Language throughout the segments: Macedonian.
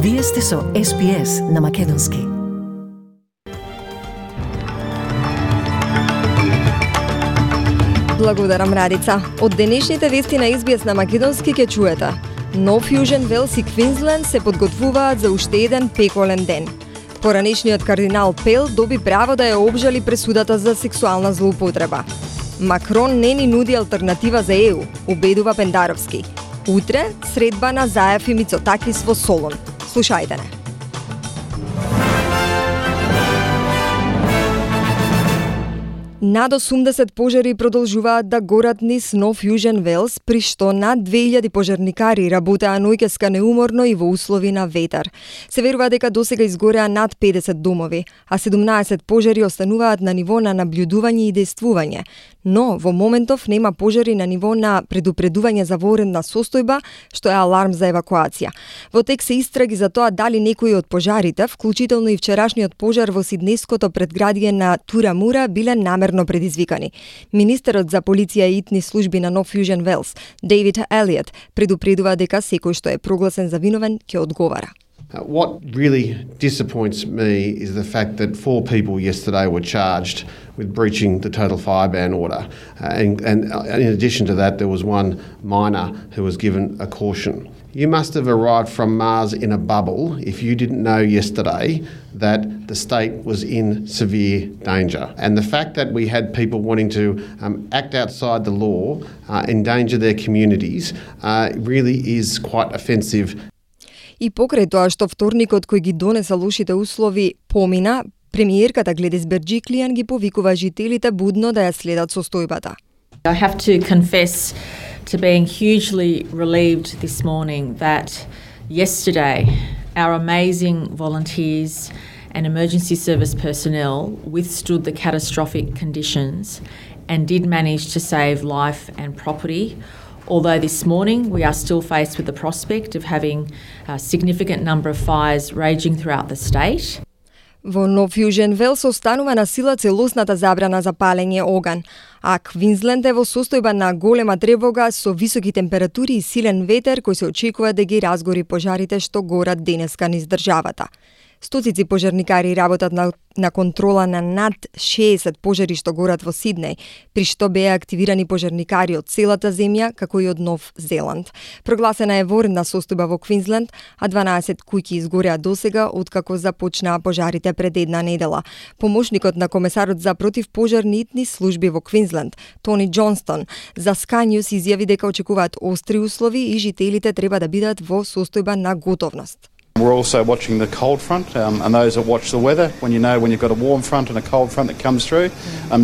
Вие сте со SPS на Македонски. Благодарам, Радица. Од денешните вести на SBS на Македонски ќе чуете. Нов Јужен Велс и Квинсленд се подготвуваат за уште еден пеколен ден. Поранешниот кардинал Пел доби право да ја обжали пресудата за сексуална злоупотреба. Макрон не ни нуди алтернатива за ЕУ, убедува Пендаровски. Утре средба на Заев и Мицотакис во Солун. Слушајте не. Над 80 пожари продолжуваат да горат низ Нов Јужен Велс, при што над 2000 пожарникари работеа ноќеска неуморно и во услови на ветар. Се верува дека досега изгореа над 50 домови, а 17 пожари остануваат на ниво на наблюдување и действување. Но во моментов нема пожари на ниво на предупредување за воредна состојба, што е аларм за евакуација. Во тек се истраги за тоа дали некои од пожарите, вклучително и вчерашниот пожар во сиднеското предградие на Турамура, биле намерно предизвикани. Министерот за полиција и итни служби на Нов Јужен Велс, Дейвид Елиот, предупредува дека секој што е прогласен за виновен ќе одговара. What really disappoints me is the fact that 4 people yesterday were charged with breaching the total fire ban order. And in addition to that, there was one minor who was given a caution. You must have arrived from Mars in a bubble if you didn't know yesterday that the state was in severe danger. And the fact that we had people wanting to act outside the law, endanger their communities, really is quite offensive. И покрај тоа што вторникот кој ги донеса лошите услови помина, премиерката Гледис Берџиклијан ги повикува жителите будно да ја следат состојбата. I have to confess to being hugely relieved this morning that yesterday our amazing volunteers and emergency service personnel withstood the catastrophic conditions and did manage to save life and property. Although this morning we are still faced with the prospect of having a significant number of fires raging throughout the state. Во Нов Јужен Велс останува на сила целосната забрана за палење оган, а Квинсленд е во состојба на голема тревога со високи температури и силен ветер кој се очекува да ги разгори пожарите што горат денеска низ државата. Стоцици пожарникари работат на контрола на над 60 пожари што горат во Сиднеј, при што беа активирани пожарникари од целата земја, како и од Нов Зеланд. Прогласена е воредна состојба во Квинсленд, а 12 куќи изгореа досега откако започнаа пожарите пред една недела. Помошникот на комесарот за противпожарни итни служби во Квинсленд, Тони Џонстон, за Sky News изјави дека очекуваат остри услови и жителите треба да бидат во состојба на готовност. We're also watching the cold front, and those that watch the weather, when you've got a warm front and a cold front that comes through,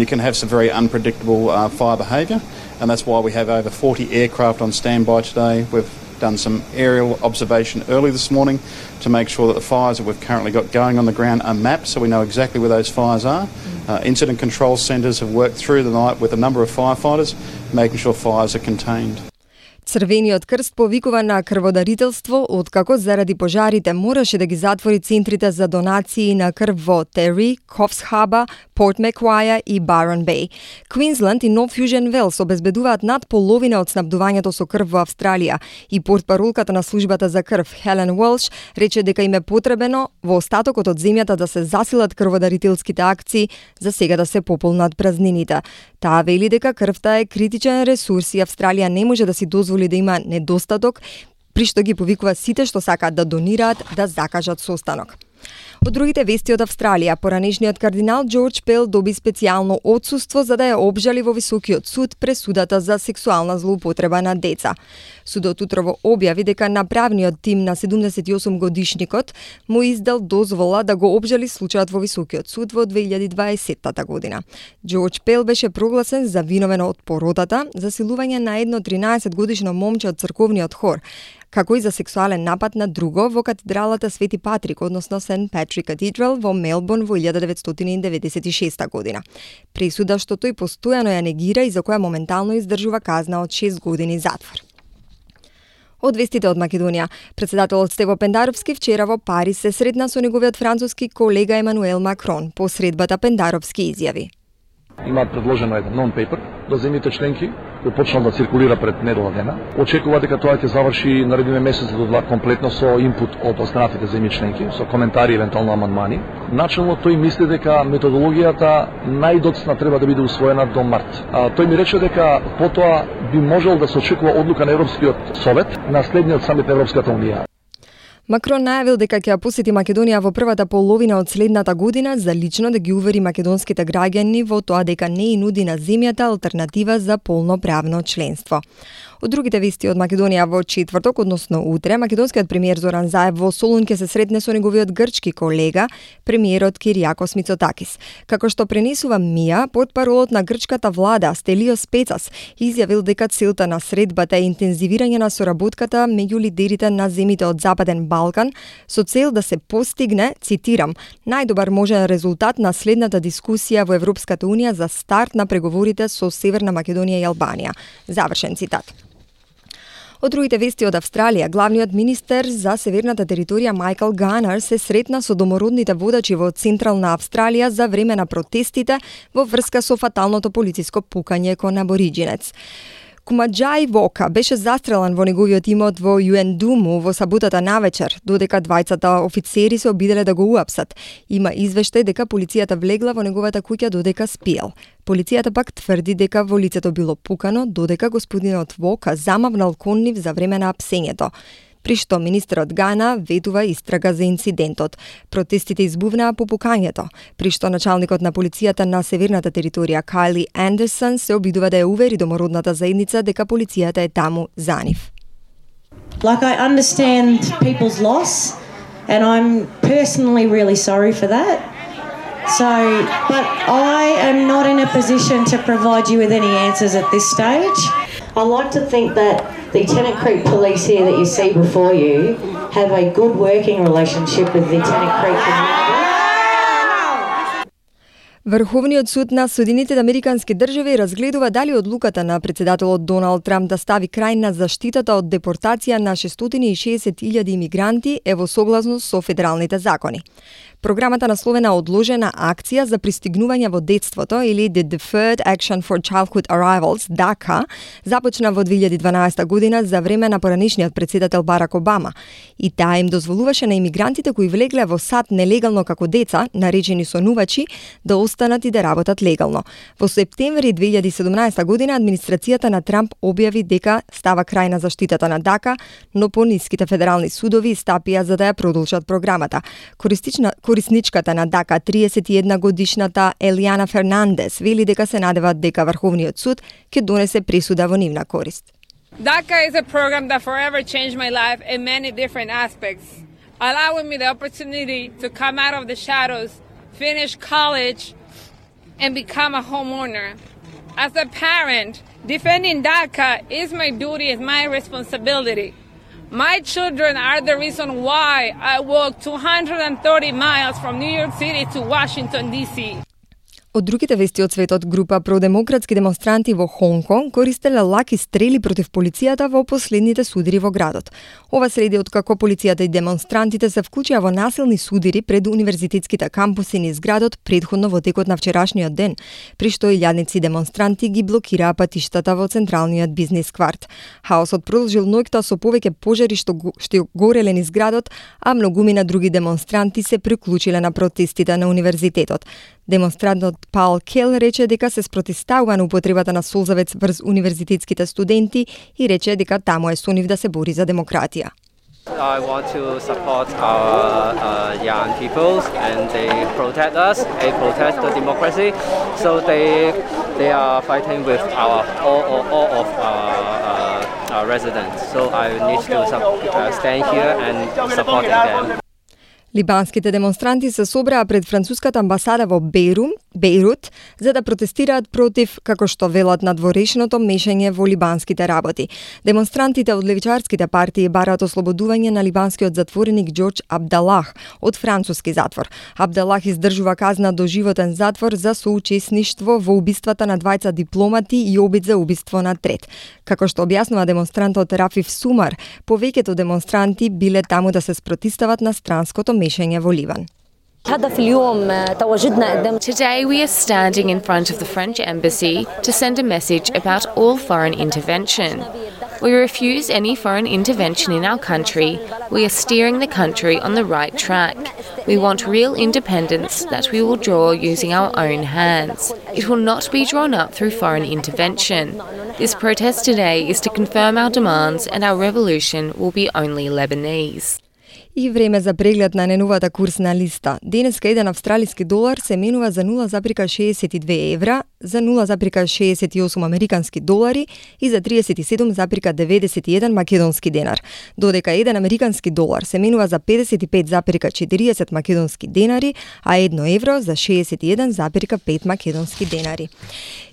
you can have some very unpredictable fire behaviour, and that's why we have over 40 aircraft on standby today. We've done some aerial observation early this morning to make sure that the fires that we've currently got going on the ground are mapped so we know exactly where those fires are. Incident control centres have worked through the night with a number of firefighters, making sure fires are contained. Црвениот крст повикува на крводарителство откако заради пожарите мораше да ги затвори центрите за донации на крв во Тери, Кофс Хаба, Порт Макваја и Барон Беј. Квинсленд и Нов Јужен Велс обезбедуваат над половина од снабдувањето со крв во Австралија и портпаролката на службата за крв Хелен Уелш рече дека им е потребено во остатокот од земјата да се засилат крводарителските акции за сега да се пополнат празнините. Таа вели дека крвта е критичен ресурс и Австралија не може да си дозволи да има недостаток, при што ги повикува сите што сакаат да донираат да закажат состанок. Од другите вести од Австралија, поранешниот кардинал Џорџ Пел доби специјално отсуство за да ја обжали во Високиот суд пресудата за сексуална злоупотреба на деца. Судот утрово објави дека направниот тим на 78 годишникот му издал дозвола да го обжали случајот во Високиот суд во 2020 година. Џорџ Пел беше прогласен за виновен од поротата, засилување на едно 13 годишно момче од црковниот хор, како и за сексуален напад на друго во катедралата Свети Патрик, односно Сент Патрик Катедрал во Мелбурн во 1996 година. Пресуда што тој постојано ја негира и за која моментално издржува казна од 6 години затвор. Од вестите од Македонија, председателот Стево Пендаровски вчера во Париз се сретна со неговиот француски колега Емануел Макрон. По средбата Пендаровски изјави: Има предложено еден non-paper до земјите членки кој почнал да циркулира пред недела дена. Очекува дека тоа ќе заврши наредниот месец до 2 комплетно со инпут од останатите земји членки, со коментари и евентуално амандмани. Начелно тој мисли дека методологијата најдоцна треба да биде усвоена до март. Тој ми рече дека потоа би можел да се очекува одлука на Европскиот совет на следниот самит на Европската унија. Макрон најавил дека ќе посети Македонија во првата половина од следната година за лично да ги увери македонските граѓани во тоа дека не и нуди на земјата алтернатива за полноправно членство. Од другите вести од Македонија во четврток, односно утре, македонскиот премиер Зоран Заев во Солун ќе се сретне со неговиот грчки колега, премиерот Кириакос Мицотакис. Како што пренесува МИА, портпаролот на грчката влада Стелиос Пецас изјавил дека целта на средбата е интензивирање на соработката меѓу лидерите на земјите од Западен Балкан со цел да се постигне, цитирам, најдобар можен резултат на следната дискусија во Европската унија за старт на преговорите со Северна Македонија и Албанија. Завршен цитат. Од другите вести од Австралија, главниот министер за северната територија Майкл Ганер се сретна со домородните водачи во Централна Австралија за време на протестите во врска со фаталното полициско пукање кон абориџинец. Кумаджај Вока беше застрелан во неговиот имот во Юендуму во саботата навечер, додека двајцата офицери се обиделе да го уапсат. Има извештај дека полицијата влегла во неговата куќа додека спиел. Полицијата пак тврди дека во лицето било пукано, додека господинот Вока замавнал кон нив за време на апсењето. При што министерот Гана ветува истрага за инцидентот. Протестите избувнаа по пукањето, при што началникот на полицијата на северната територија Кайли Андерсон се обидува да ја увери домородната заедница дека полицијата е таму за нив. Like, I understand people's loss and I'm personally really sorry for that. But I am not in a position to provide you with any answers at this stage. I like to think that the Tennant Creek Police here that you see before you have a good working relationship with the Tennant Creek community. Врховниот суд на Соединетите Американски држави разгледува дали одлуката на председателот Доналд Трамп да стави крај на заштитата од депортација на 660.000 имигранти е во согласност со федералните закони. Програмата насловена Одложена акција за пристигнување во детството или The Deferred Action for Childhood Arrivals, DACA, започна во 2012 година за време на поранешниот председател Барак Обама. И таа им дозволуваше на имигрантите кои влегле во САД нелегално како деца, наречени сонувачи, да останат и да работат легално. Во септември 2017 година администрацијата на Трамп објави дека става крај на заштитата на DACA, но пониските федерални судови стапија за да ја продолжат програмата. Корисничката на DACA, 31 годишната Елијана Фернандес, вели дека се надеват дека Врховниот суд ќе донесе пресуда во нивна корист. DACA is a program that forever changed my life in many different aspects, allowing me the opportunity to come out of the shadows, finish college, and become a homeowner. As a parent, defending DACA is my duty, is my responsibility. My children are the reason why I walked 230 miles from New York City to Washington, D.C. Од другите вести од светот, група продемократски демонстранти во Хонг Конг користеле лаки стрели против полицијата во последните судири во градот. Ова следи од како полицијата и демонстрантите се вклучија во насилни судири пред универзитетските кампуси низ градот предходно во текот на вчерашниот ден, при што илјадници демонстранти ги блокираа патиштата во централниот бизнис кварт. Хаосот продолжил ноќта со повеќе пожари што гореле низ градот, а многумина други демонстранти се приклучиле на протестите на универзитетот. Демонстрантот Паул Кел рече дека се спротивставува на употребата на солзавец врз универзитетските студенти и рече дека таму е со нив да се бори за демократија. I want to support our young people and they protect us, they protect the democracy, so they are fighting with all of our residents. So I need to stand here and supporting them. Либанските демонстранти се собраа пред француската амбасада во Бејрут за да протестираат против, како што велат, надворешното мешање во либанските работи. Демонстрантите од левичарските партии бараат ослободување на либанскиот затвореник Џорџ Абдалах од француски затвор. Абдалах издржува казна до животен затвор за соучесништво во убиствата на двајца дипломати и обид за убиство на трет. Како што објаснува демонстрантот Рафиф Сумар, повеќето демонстранти биле таму да се спротивстават на странското мешање во Ливан. Today we are standing in front of the French embassy to send a message about all foreign intervention. We refuse any foreign intervention in our country. We are steering the country on the right track. We want real independence that we will draw using our own hands. It will not be drawn up through foreign intervention. This protest today is to confirm our demands, and our revolution will be only Lebanese. И време за преглед на најновата курсна листа. Денеска еден австралиски долар се менува за 0,62 евра, за 0,68 американски долари и за 37,91 македонски денар, додека еден американски долар се менува за 55,40 македонски денари, а 1 евро за 61,5 македонски денари.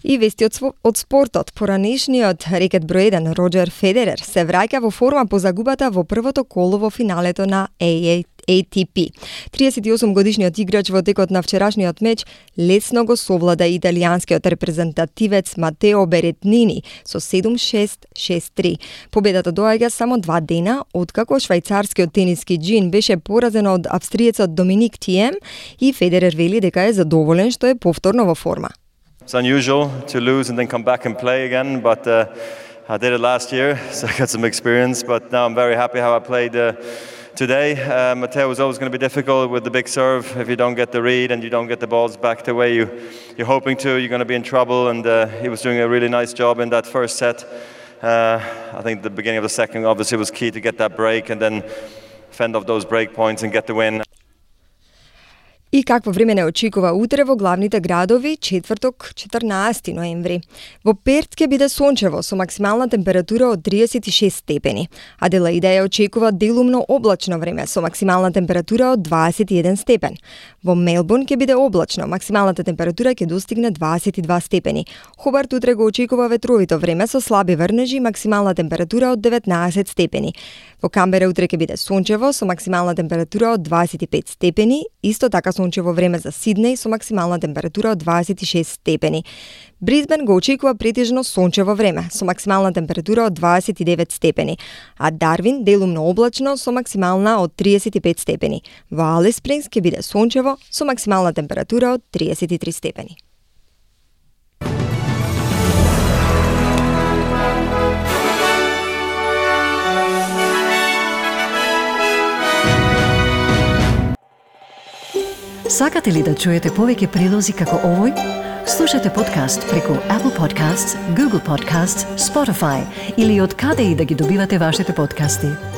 И вести од спортот. Поранешниот рекет број 1 Роџер Федерер се враќа во форма по загубата во првото коло во финалето на ATP. 38-годишниот играч во текот на вчерашниот меч лесно го совлада италијанскиот репрезентативец Матео Беретнини со 7-6, 6-3. Победата доаѓа само 2 дена откако швајцарскиот тениски джин беше поразен од австриецот Доминик Тием и Федерер вели дека е задоволен што е повторно во форма. It's unusual to lose and then come back and play again, but I did it last year, so I got some experience, but now I'm very happy how I played today. Matteo was always going to be difficult with the big serve. If you don't get the read and you don't get the balls back the way you're hoping to, you're going to be in trouble, and he was doing a really nice job in that first set. I think the beginning of the second obviously was key to get that break and then fend off those break points and get the win. И какво време не очекува утре во главните градови, четврток, 14 ноември. Во Перт ќе биде сончево со максимална температура од 36 степени. Аделаида ја очекува делумно облачно време со максимална температура од 21 степен. Во Мелбурн ќе биде облачно, максималната температура ќе достигне 22 степени. Хобарт утре го очекува ветровито време со слаби врнежи, максимална температура од 19 степени. Во Камбера утре ќе биде сончево со максимална температура од 25 степени, исто така сончево време за Сиднеј со максимална температура од 26 степени. Брисбен го очекува претежно сончево време со максимална температура од 29 степени, а Дарвин делумно облачно со максимална од 35 степени. Во Алис Спрингс ќе биде сончево со максимална температура од 33 степени. Сакате ли да чуете повеќе прилози како овој? Слушате подкаст преку Apple Podcasts, Google Podcasts, Spotify или од каде и да ги добивате вашите подкасти.